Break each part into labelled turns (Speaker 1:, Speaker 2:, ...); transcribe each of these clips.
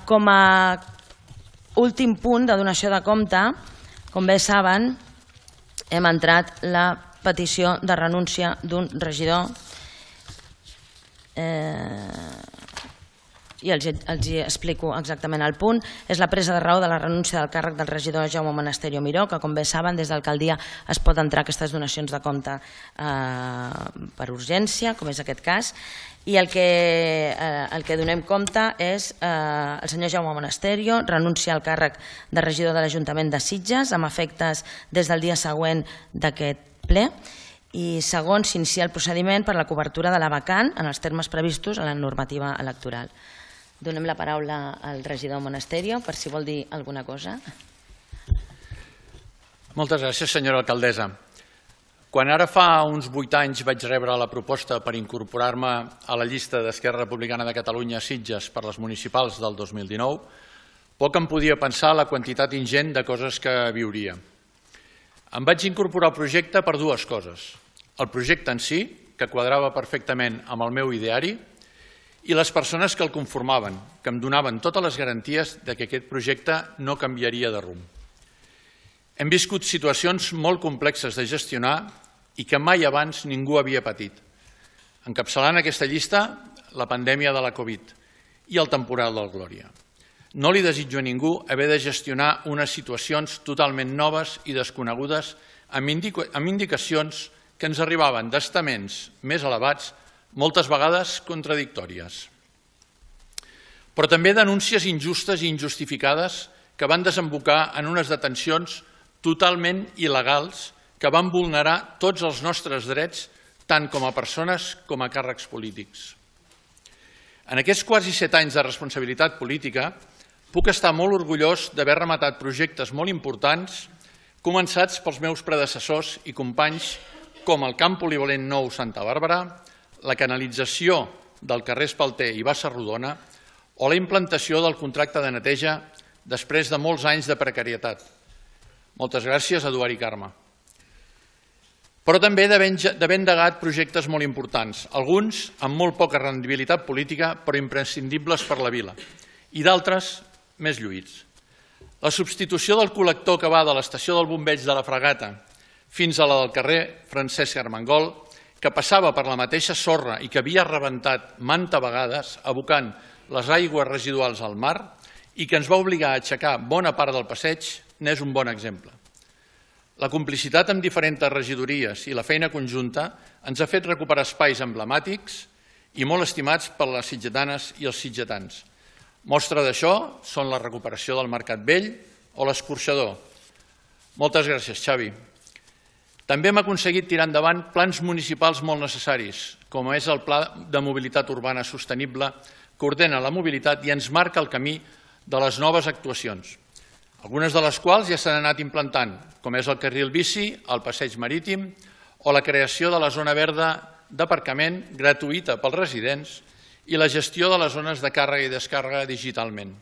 Speaker 1: Com a últim punt de donació de compte, com bé saben, hem entrat la petició de renúncia d'un regidor i els explico exactament el punt. És la presa de raó de la renúncia del càrrec del regidor Jaume Monasterio Miró, que com bé saben des de l'alcaldia es pot entrar aquestes donacions de compte per urgència, com és aquest cas, i el que donem compte és el senyor Jaume Monasterio renuncia al càrrec de regidor de l'Ajuntament de Sitges amb efectes des del dia següent d'aquest ple, i segon, s'inicia el procediment per la cobertura de la vacant en els termes previstos a la normativa electoral. Donem la paraula al regidor Monasterio per si vol dir alguna cosa.
Speaker 2: Moltes gràcies, senyora alcaldessa. Quan ara fa uns 8 anys vaig rebre la proposta per incorporar-me a la llista d'Esquerra Republicana de Catalunya a Sitges per les municipals del 2019, poc em podia pensar la quantitat ingent de coses que viuria. Em vaig incorporar al projecte per dues coses. El projecte en si, que quadrava perfectament amb el meu ideari, i les persones que el conformaven, que em donaven totes les garanties que aquest projecte no canviaria de rumb. Hem viscut situacions molt complexes de gestionar i que mai abans ningú havia patit. Encapçalant aquesta llista, la pandèmia de la Covid i el temporal del Glòria. No li desitjo a ningú haver de gestionar unes situacions totalment noves i desconegudes amb indicacions que ens arribaven d'estaments més elevats, moltes vegades contradictòries. Però també denúncies injustes i injustificades que van desembocar en unes detencions totalment il·legals que van vulnerar tots els nostres drets, tant com a persones com a càrrecs polítics. En aquests quasi 7 anys de responsabilitat política, puc estar molt orgullós d'haver rematat projectes molt importants començats pels meus predecessors i companys com el camp polivalent nou Santa Bàrbara, la canalització del carrer Espalter i Bassa Rodona o la implantació del contracte de neteja després de molts anys de precarietat. Moltes gràcies, Eduard i Carme. Però també d'haver endegat projectes molt importants, alguns amb molt poca rendibilitat política però imprescindibles per la vila, i d'altres més lluïts. La substitució del col·lector que va de l'estació del Bombeig de la Fragata fins a la del carrer Francesc Armengol, que passava per la mateixa sorra i que havia rebentat manta vegades, abocant les aigües residuals al mar i que ens va obligar a aixecar bona part del passeig, n'és un bon exemple. La complicitat amb diferents regidories i la feina conjunta ens ha fet recuperar espais emblemàtics i molt estimats per les sitgetanes i els sitgetans. Mostra d'això són la recuperació del Mercat Vell o l'Escorxador. Moltes gràcies, Xavi. També hem aconseguit tirar endavant plans municipals molt necessaris, com és el Pla de Mobilitat Urbana Sostenible, que ordena la mobilitat i ens marca el camí de les noves actuacions, algunes de les quals ja s'han anat implantant, com és el carril bici, el passeig marítim o la creació de la zona verda d'aparcament gratuïta pels residents i la gestió de les zones de càrrega i descàrrega digitalment.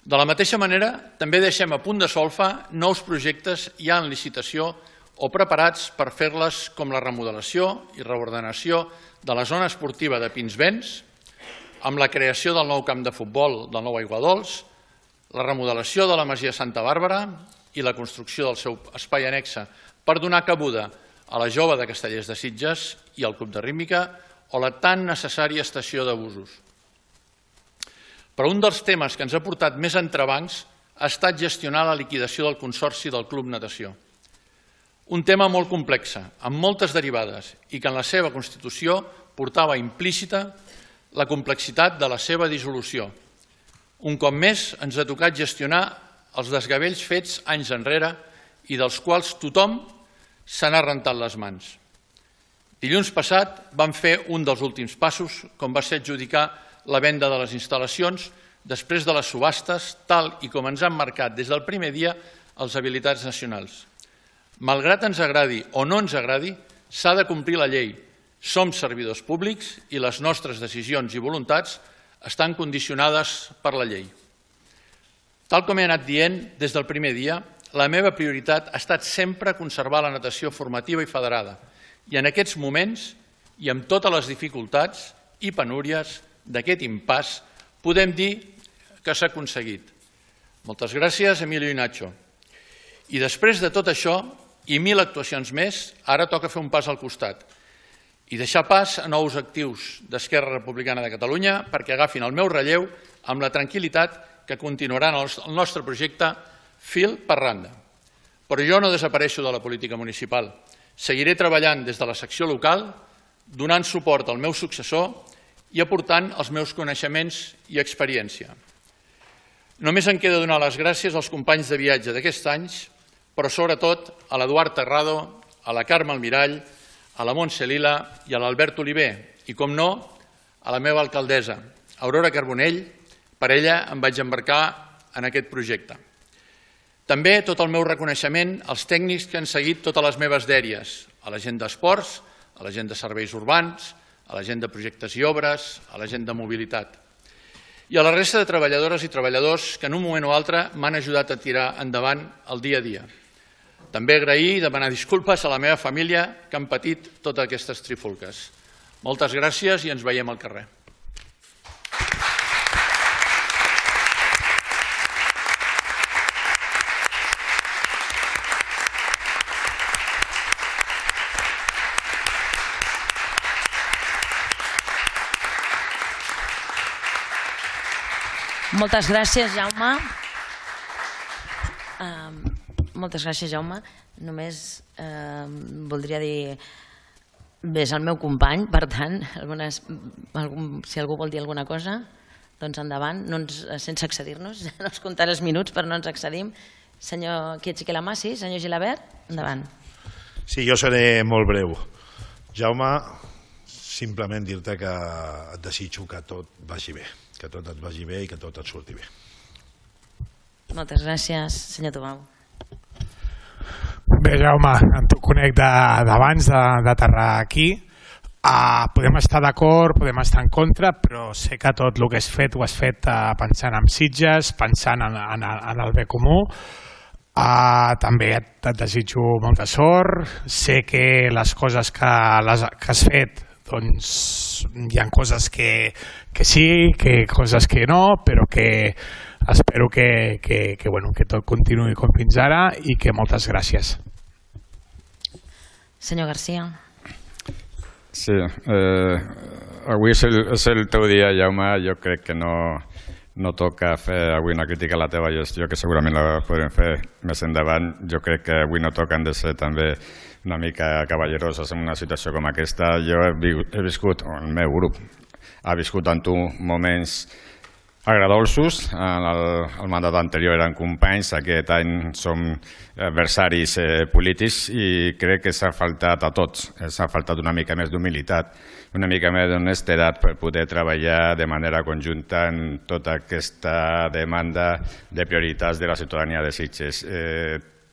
Speaker 2: De la mateixa manera, també deixem a punt de solfa nous projectes ja en licitació o preparats per fer-les com la remodelació i reordenació de la zona esportiva de Pinsbens, amb la creació del nou camp de futbol del nou Aiguadols, la remodelació de la Masia Santa Bàrbara i la construcció del seu espai annexe per donar cabuda a la Jove de Castellers de Sitges i al Club de Rítmica o la tan necessària estació de busos. Però un dels temes que ens ha portat més entrebancs ha estat gestionar la liquidació del Consorci del Club Natació. Un tema molt complex, amb moltes derivades i que en la seva constitució portava implícita la complexitat de la seva dissolució. Un cop més ens ha tocat gestionar els desgavells fets anys enrere i dels quals tothom se n'ha rentat les mans. Dilluns passat vam fer un dels últims passos, com va ser adjudicar la venda de les instal·lacions després de les subhastes, tal i com ens han marcat des del primer dia els habilitats nacionals. Malgrat ens agradi o no ens agradi, s'ha de complir la llei. Som servidors públics i les nostres decisions i voluntats estan condicionades per la llei. Tal com he anat dient des del primer dia, la meva prioritat ha estat sempre conservar la natació formativa i federada i en aquests moments i amb totes les dificultats i penúries d'aquest impàs podem dir que s'ha aconseguit. Moltes gràcies, Emilio i Nacho. I després de tot això, i 1.000 actuacions més, ara toca fer un pas al costat i deixar pas a nous actius d'Esquerra Republicana de Catalunya perquè agafin el meu relleu amb la tranquil·litat que continuaran el nostre projecte fil per randa. Però jo no desapareixo de la política municipal. Seguiré treballant des de la secció local, donant suport al meu successor i aportant els meus coneixements i experiència. Només em queda donar les gràcies als companys de viatge d'aquests anys, però sobretot a l'Eduard Terrado, a la Carme Almirall, a la Montse Lila i a l'Albert Oliver i, com no, a la meva alcaldessa, Aurora Carbonell. Per ella em vaig embarcar en aquest projecte. També tot el meu reconeixement als tècnics que han seguit totes les meves dèries, a la gent d'esports, a la gent de serveis urbans, a la gent de projectes i obres, a la gent de mobilitat. I a la resta de treballadores i treballadors que en un moment o altre m'han ajudat a tirar endavant el dia a dia. També agrair i demanar disculpes a la meva família que han patit totes aquestes trifulques. Moltes gràcies i ens veiem al carrer.
Speaker 1: Moltes gràcies, Jaume. Moltes gràcies, Jaume. Només voldria dir... Bé, és el meu company, per tant, si algú vol dir alguna cosa, doncs endavant, sense excedir-nos. No ens comptaré els minuts, però no ens excedim. Senyor Quietxiquelamà, sí? Senyor Gilabert, endavant.
Speaker 3: Sí, jo seré molt breu. Jaume, simplement dir-te que et desitjo que tot vagi bé. Que tot et vagi bé i que tot et surti bé.
Speaker 1: Moltes gràcies, senyor Tomau.
Speaker 4: Bé, Jaume, tu conec d'abans d'aterrar aquí. Podem estar d'acord, podem estar en contra, però sé que tot el que has fet ho has fet pensant en Sitges, pensant en el bé comú. També et desitjo molta sort. Sé que les coses que has fet, doncs hi ha coses que sí, que coses que no, però que espero que tot continuï com fins ara i que moltes gràcies.
Speaker 1: Senyor García.
Speaker 5: Sí, avui és el teu dia, Jaume. Jo crec que no toca fer avui una crítica a la teva gestió, que segurament la podrem fer més endavant. Jo crec que avui no toquen de ser també una mica cavalleroses en una situació com aquesta. Jo he viscut, el meu grup ha viscut en tu moments agradolços. El mandat anterior eren companys, aquest any som adversaris polítics i crec que s'ha faltat a tots. S'ha faltat una mica més d'humilitat, una mica més d'honestedat per poder treballar de manera conjunta en tota aquesta demanda de prioritats de la ciutadania de Sitges.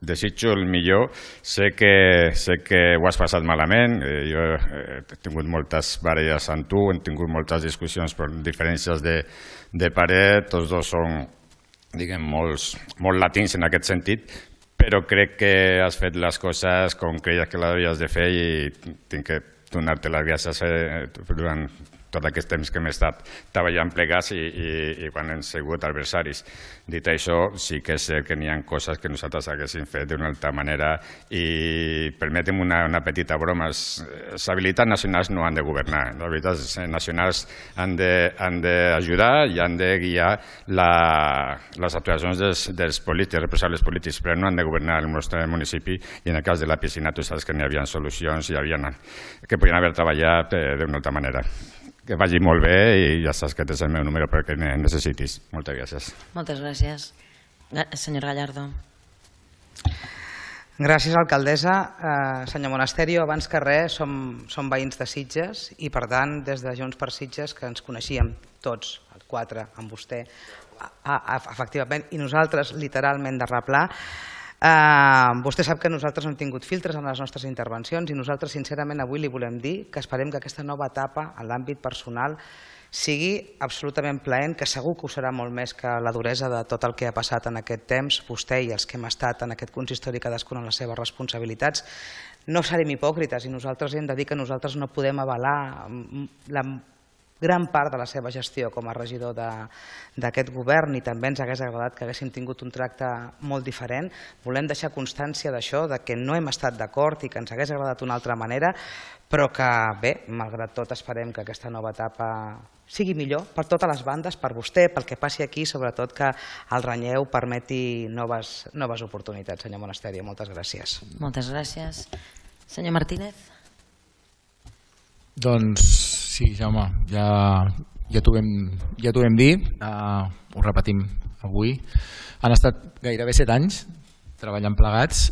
Speaker 5: Desitjo el millor. Sé que ho has passat malament. Jo he tingut moltes baralles amb tu, hem tingut moltes discussions per diferències de parer. Tots dos són, diguem, molt latins en aquest sentit, però crec que has fet les coses com creies que les havies de fer i tinc que donar-te les gràcies durant tot aquest temps que hem estat treballant plegats i quan hem sigut adversaris. Dit això, sí que és cert que n'hi ha coses que nosaltres haguéssim fet d'una altra manera i permetem una petita broma. Les habilitats nacionals no han de governar. Les habilitats nacionals han d'ajudar i han de guiar les actuacions dels polítics, dels responsables polítics, però no han de governar el nostre municipi i en el cas de la piscina tu saps que n'hi havia solucions que podien haver treballat d'una altra manera. Que vagi molt bé i ja saps que tens el meu número perquè necessitis. Moltes gràcies.
Speaker 1: Moltes gràcies. Senyor Gallardo.
Speaker 6: Gràcies, alcaldessa. Senyor Monasterio, abans que res som veïns de Sitges i per tant des de Junts per Sitges que ens coneixíem tots, els quatre, amb vostè, efectivament, i nosaltres literalment de replà. Vostè sap que nosaltres no hem tingut filtres en les nostres intervencions i nosaltres sincerament avui li volem dir que esperem que aquesta nova etapa en l'àmbit personal sigui absolutament plaent, que segur que ho serà molt més que la duresa de tot el que ha passat en aquest temps, vostè i els que hem estat en aquest consistori cadascun en les seves responsabilitats. No serem hipòcrites i nosaltres hem de dir que nosaltres no podem avalar gran part de la seva gestió com a regidor d'aquest govern, i també ens hagués agradat que haguéssim tingut un tracte molt diferent. Volem deixar constància d'això, que no hem estat d'acord i que ens hagués agradat una altra manera, però que bé, malgrat tot esperem que aquesta nova etapa sigui millor per totes les bandes, per vostè, pel que passi aquí, sobretot que el relleu permeti noves oportunitats. Senyor Monasterio, moltes gràcies.
Speaker 1: Moltes gràcies. Senyor Martínez.
Speaker 7: Doncs sí, Jaume, ja t'ho vam dir, ho repetim avui. Han estat gairebé 7 anys treballant plegats,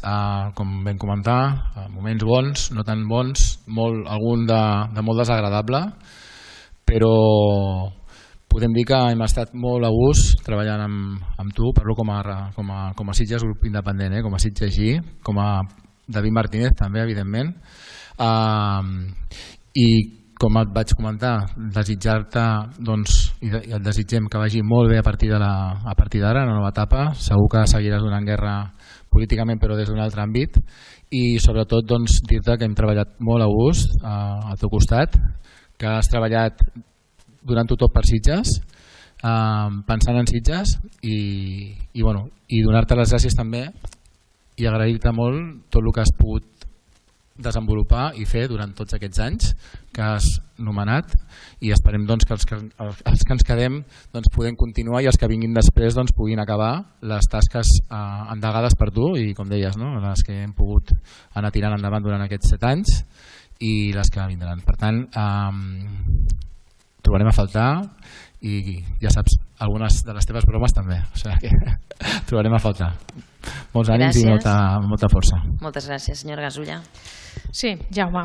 Speaker 7: com vam comentar, moments bons, no tan bons, algun de molt desagradable, però podem dir que hem estat molt a gust treballant amb tu, parlo com a Sitges grup independent, com a Sitges G, com a David Martínez també, evidentment, i com et vaig comentar, desitjar-te, i et desitgem que vagi molt bé a partir d'ara, una nova etapa. Segur que seguiràs donant guerra políticament, però des d'un altre àmbit, i sobretot dir-te que hem treballat molt a gust al teu costat, que has treballat donant-ho tot per Sitges, pensant en Sitges, i donar-te les gràcies també i agrair-te molt tot el que has pogut desenvolupar i fer durant tots aquests anys que has nomenat, i esperem que els que ens quedem podem continuar, i els que vinguin després puguin acabar les tasques endegades per tu i, com deies, les que hem pogut anar tirant endavant durant aquests 7 anys i les que vindran. Per tant, trobarem a faltar, i ja saps, algunes de les teves bromes també, o sigui que trobarem a faltar. Molts ànims i molta força.
Speaker 1: Moltes gràcies. Senyora Gasulla.
Speaker 8: Sí, Jaume,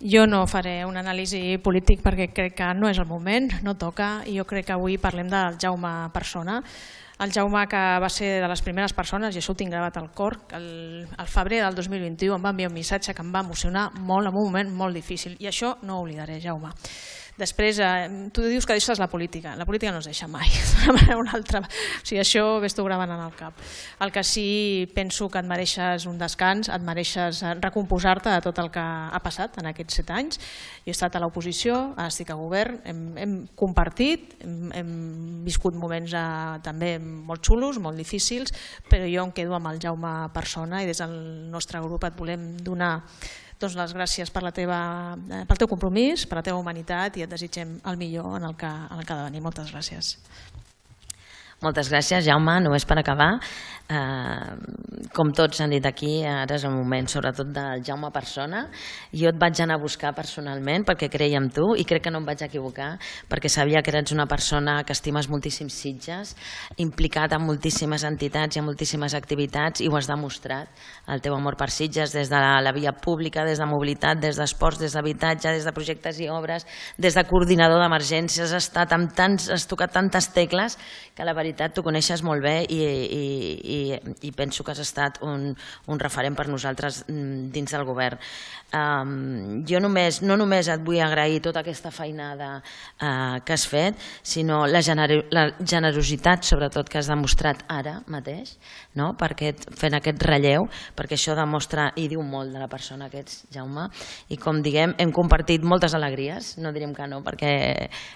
Speaker 8: jo no faré un anàlisi polític perquè crec que no és el moment, no toca, i jo crec que avui parlem del Jaume persona. El Jaume, que va ser de les primeres persones, i això ho tinc gravat al cor, que al febrer del 2021 em va enviar un missatge que em va emocionar molt en un moment molt difícil, i això no ho oblidaré, Jaume. Després, tu dius que deixes la política no es deixa mai, d'una manera o una altra, o sigui, això ves-t'ho gravant en el cap. El que sí penso que et mereixes un descans, et mereixes recomposar-te de tot el que ha passat en aquests 7 anys. Jo he estat a l'oposició, estic a govern, hem compartit, hem viscut moments també molt xulos, molt difícils, però jo em quedo amb el Jaume persona, i des del nostre grup et volem donar les gràcies pel teu compromís, per la teva humanitat, i et desitgem el millor en el que ha de venir. Moltes gràcies.
Speaker 1: Moltes gràcies, Jaume. Només per acabar, com tots han dit aquí, ara és el moment sobretot del Jaume persona. Jo et vaig anar a buscar personalment perquè creia en tu, i crec que no em vaig equivocar, perquè sabia que eres una persona que estimes moltíssim Sitges, implicat en moltíssimes entitats i en moltíssimes activitats, i ho has demostrat, el teu amor per Sitges, des de la via pública, des de mobilitat, des d'esports, des d'habitatge, des de projectes i obres, des de coordinador d'emergències. Has tocat tantes tecles que la veritat t'ho coneixes molt bé, i penso que has estat un referent per nosaltres dins del govern. Jo no només et vull agrair tota aquesta feinada que has fet, sinó la generositat sobretot que has demostrat ara mateix, fent aquest relleu, perquè això demostra i diu molt de la persona que ets, Jaume, i com diguem, hem compartit moltes alegries, no diríem que no, perquè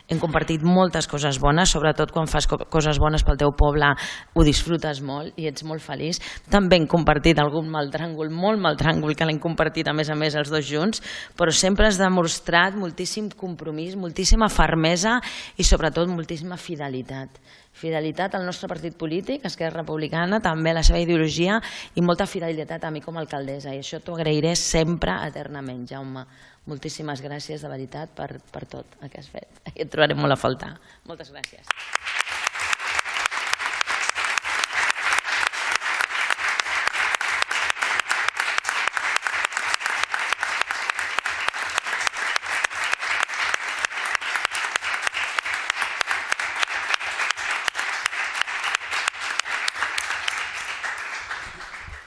Speaker 1: hem compartit moltes coses bones, sobretot quan fas coses bones pel teu poble ho disfrutes molt i ets molt feliç. També hem compartit algun mal tràngol, molt mal tràngol, que l'hem compartit a més els dos junts, però sempre has demostrat moltíssim compromís, moltíssima fermesa i sobretot moltíssima fidelitat. Fidelitat al nostre partit polític, Esquerra Republicana, també a la seva ideologia, i molta fidelitat a mi com a alcaldessa, i això t'ho agrairé sempre, eternament, Jaume. Moltíssimes gràcies de veritat per tot el que has fet. I et trobarem molt a faltar. Moltes gràcies.